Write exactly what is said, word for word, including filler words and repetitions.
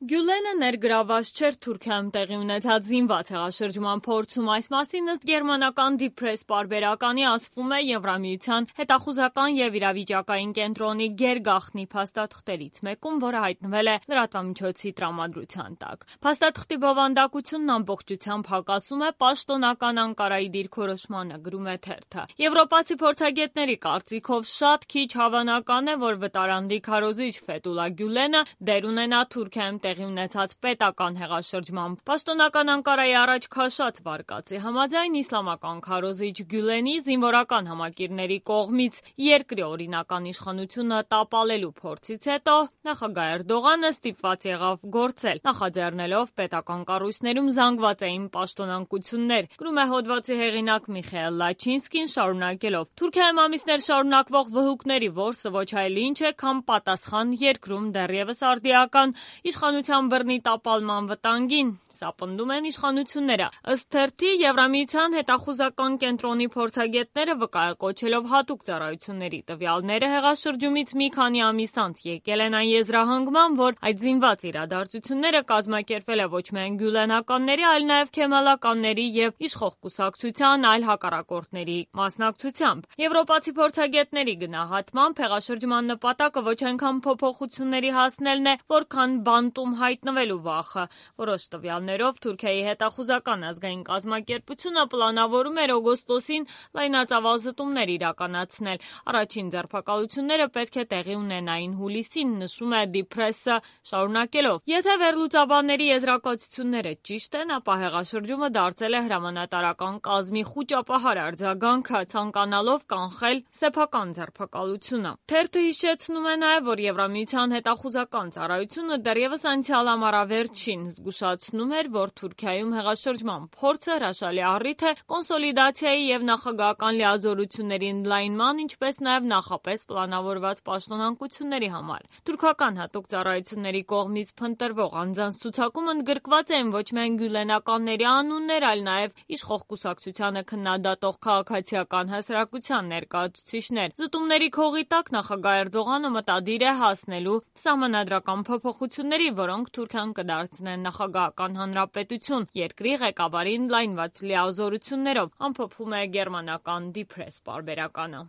Գյուլենը ներգրաված չէր Թուրքիայում տեղի ունեցած զինված հեղաշրջման փորձում, այս մասին ըստ գերմանական Die Presse պարբերականի ասվում է Եվրամիության հետախուզական և իրավիճակային կենտրոնի գերգաղտնի փաստաթղթերից մեկում, որը հայտնվել է լրատվամիջոցի տրամադրության տակ։ Փաստաթղթի բովանդակությունն ամբողջությամբ հակասում է պաշտոնական Անկարայի դիրքորոշմանը, գրում է թերթը։ Եվրոպացի փորձագետների կարծիքով շատ քիչ հավանական է, որ վտարանդի քարոզիչ Ֆեթուլա Գյուլենը դեր ունենա Թուրքիայում տեղի ունեցած պետական հեղաշրջման։ Պաշտոնական Անկարայի առաջ քաշած վարկածի համաձայն իսլամական քարոզիչ Գյուլենի զինվորական համակիրների կողմից երկրի օրինական իշխանությունը տապալելու փորձից հետո նախագահ Էրդողանը ստիպված եղավ գործել, նախաձեռնելով պետական կառույցներում զանգվածային պաշտոնանկություններ, գրում է հոդվածի հեղինակ Միխայել Լաչինսկին, շարունակելով. Թուրքիայում ամիսներ շարունակվող վհուկների որսը ոչ այլ ինչ է, քան պատասխան երկրում դեռևս արդիական իշխանության բռնի տապալման վտանգին, սա պնդում են իշխանությունները։ Ըստ թերթի, Եվրամիության հետախուզական կենտրոնի փորձագետները վկայակոչելով հատուկ ծառայությունների տվյալները հեղաշրջումից մի քանի ամիս անց եկել են այն եզրահանգման, որ այդ զինված իրադարձությունները կազմակերպվել է ոչ միայն գյուլենականների, այլ նաև քեմալականների և իշխող կուսակցության այլ հակառակորդների մասնակցությամբ։ Եվրոպացի փորձագետների գնահատմամբ հեղաշրջման նպատակը ոչ այնքան փոփոխությունների հասնելն է, որքան բանտում հայտնվելու վախը։ Որոշ տվյալներով Թուրքիայի հետախուզական ազգային կազմակերպությունը պլանավորում էր օգոստոսին լայնածավալ զտումներ իրականացնել։ Առաջին ձերբակալությունները պետք է տեղի ունենային հուլիսին, նշում է Die Presse-ը, շարունակելով. Եթե վերլուծաբանների եզրակացությունները ճիշտ են, ապա հեղաշրջումը դարձել է հրամանատարական կազմի խուճապահար արձագանքը, ցանկանալով կանխել սեփական ձերբակալությունը։ Թերթը հիշեցնում է նաև, որ Եվրամիության հետախուզական ծառայությունը դեռևս անցյալ ամառավերջին զգուշացնում էր, որ Թուրքիայում հեղաշրջման փորձը հրաշալի առիթ է կոնսոլիդացիայի և նախագահական լիազորությունների ընդլայնման, ինչպես նաև նախապես պլանավորված պաշտոնանկությունների համար։ Թուրքական հատուկ ծառայությունների կողմից փնտրվող անձանց ցուցակում ընդգրկված են ոչ միայն գյուլենականների անուններ, այլ նաև իշխող կուսակցությանը քննադատող քաղաքացիական հասարակության ներկայացուցիչներ։ Զտումների քողի տակ նախագահ Էրդողանը մտադիր է հասնելու սահմանադրական փոփոխությունների, որոնք Թուրքիան կդարձնեն նախագահական հանրապետություն երկրի ղեկավարին ընդլայնված լիազորություններով, ամփոփում է գերմանական Die Presse պարբերականը։